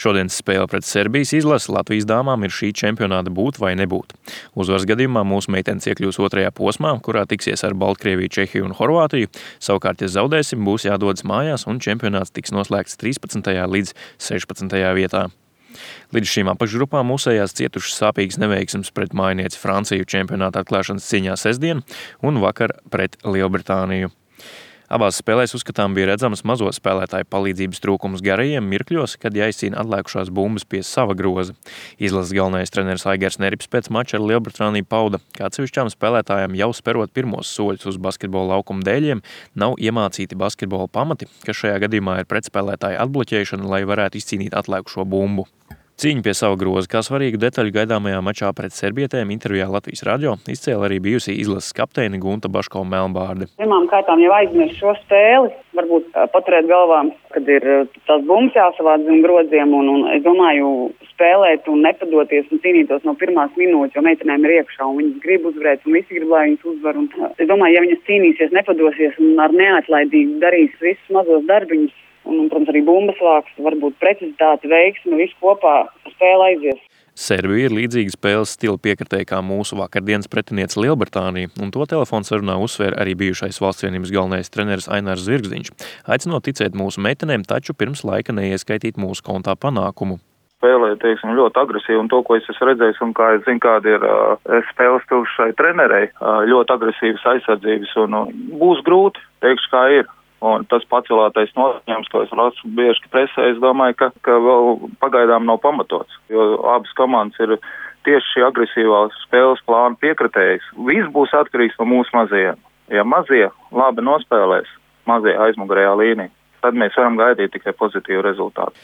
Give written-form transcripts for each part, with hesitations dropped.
Šodienas spēle pret Serbijas izlasi Latvijas dāmām ir šī čempionāta būt vai nebūt. Uzvaras gadījumā mūsu meitenes iekļūs otrajā posmā, kurā tiksies ar Baltkrieviju, Čehiju un Horvātiju. Savukārt, ja zaudēsim, būs jādodas mājās un čempionāts tiks noslēgts 13. līdz 16. vietā. Līdz šīm apakšgrupām mūsējās cietušas sāpīgas neveiksmes pret mājinieci Franciju čempionāta atklāšanas cīņā sestdien un vakar pret Lielbritāniju. Abās spēlēs uzskatām bija redzamas mazo spēlētāju palīdzības trūkums garajiem mirkļos, kad jāizcīna atliekušās bumbas pie sava groza. Izlases galvenais treneris Aigars Nerips pēc mača ar Lielbritāniju pauda, ka atsevišķām spēlētājām jau sperot pirmos soļus uz basketbola laukuma dēļiem, nav iemācīti basketbola pamati, kas šajā gadījumā ir pretspēlētāju atbloķēšana, lai varētu izcīnīt atliekušo bumbu. Cīņu pie sava groza, kā svarīgu detaļu gaidāmajā mačā pret serbietēm intervijā Latvijas radio izcēla arī bijusī izlases kapteine Gunta Baškova-Melnbārde. Pirmām kārtām jau aizmirst šo spēli, varbūt paturēt galvā, kad ir tās bumbas jāsavāc zem groziem un es domāju spēlēt un nepadoties un cīnītos no pirmās minūtes, jo meitenēm ir iekšā un viņas grib uzvarēt un visi grib, lai viņas uzvar. Un es domāju, ja viņas cīnīsies, nepadosies un ar neatlaidību darīs visus mazos darbiņus, un, protams, arī bumbas vāks, varbūt precizitāte, veiksme, visu kopā spēle aizies. Serbija ir līdzīga spēles stila piekritēja kā mūsu vakardienas pretiniece Lielbritānija, un to telefonsarunā uzsvēra arī bijušais valsts vienības galvenais treneris Ainārs Zvirgzdiņš, aicinot ticēt mūsu meitenēm, taču pirms laika neieskaitīt mūsu kontā panākumu. Spēlē, ļoti agresīvi, un to, ko es esmu redzējis, un kā es zinu, kāda ir spēles stils šai trenerei, ļoti agresīvas aizsardzības, un būs grūti, teikšu, kā ir. Un tas pacelātais noskaņojums, ko es lasu bieži presē, es domāju, ka vēl pagaidām nav pamatots, jo abas komandas ir tieši šī agresīvā spēles plāna piekritējas. Viss būs atkarīgs no mūsu mazajiem. Ja mazie labi nospēlēs, mazie aizmugurējā līnija, tad mēs varam gaidīt tikai pozitīvu rezultātu.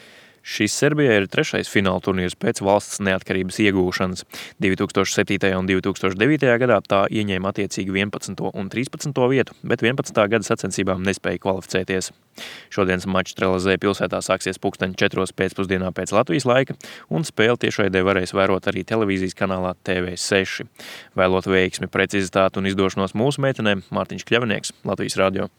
Šis Serbijai ir trešais fināla turnīrs pēc valsts neatkarības iegūšanas. 2007. un 2009. gadā tā ieņēma attiecīgi 11. un 13. vietu, bet 11. gada sacensībām nespēja kvalificēties. Šodienas mačs Trelezē pilsētā sāksies 4:00 pēcpusdienā pēc Latvijas laika, un spēli tiešraidē varēs vērot arī televīzijas kanālā TV6. Vēlot veiksmi, precizitāti un izdošanos mūsu meitenēm, Mārtiņš Kļavinieks, Latvijas radio.